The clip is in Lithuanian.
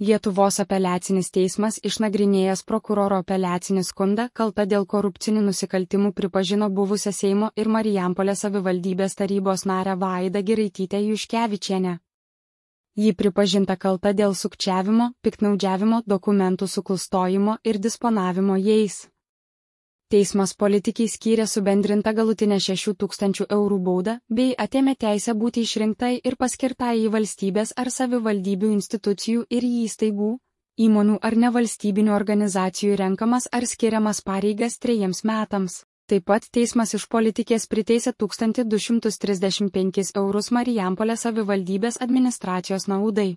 Lietuvos apeliacinis teismas išnagrinėjęs prokuroro apeliacinį skundą kalta dėl korupcinių nusikaltimų pripažino buvusią Seimo ir Marijampolės savivaldybės tarybos narę Vaidą Giraitytę Juškevičienę. Ji pripažinta kalta dėl sukčiavimo, piktnaudžiavimo, dokumentų suklastojimo ir disponavimo jais. Teismas politikai skyrė subendrintą galutinę 6 000 eurų baudą bei atėmė teisę būti išrinktai ir paskirtai į valstybės ar savivaldybių institucijų ir įstaigų, įmonių ar nevalstybinių organizacijų renkamas ar skiriamas pareigas 3 metams. Taip pat teismas iš politikės priteisė 1235 eurus Marijampolės savivaldybės administracijos naudai.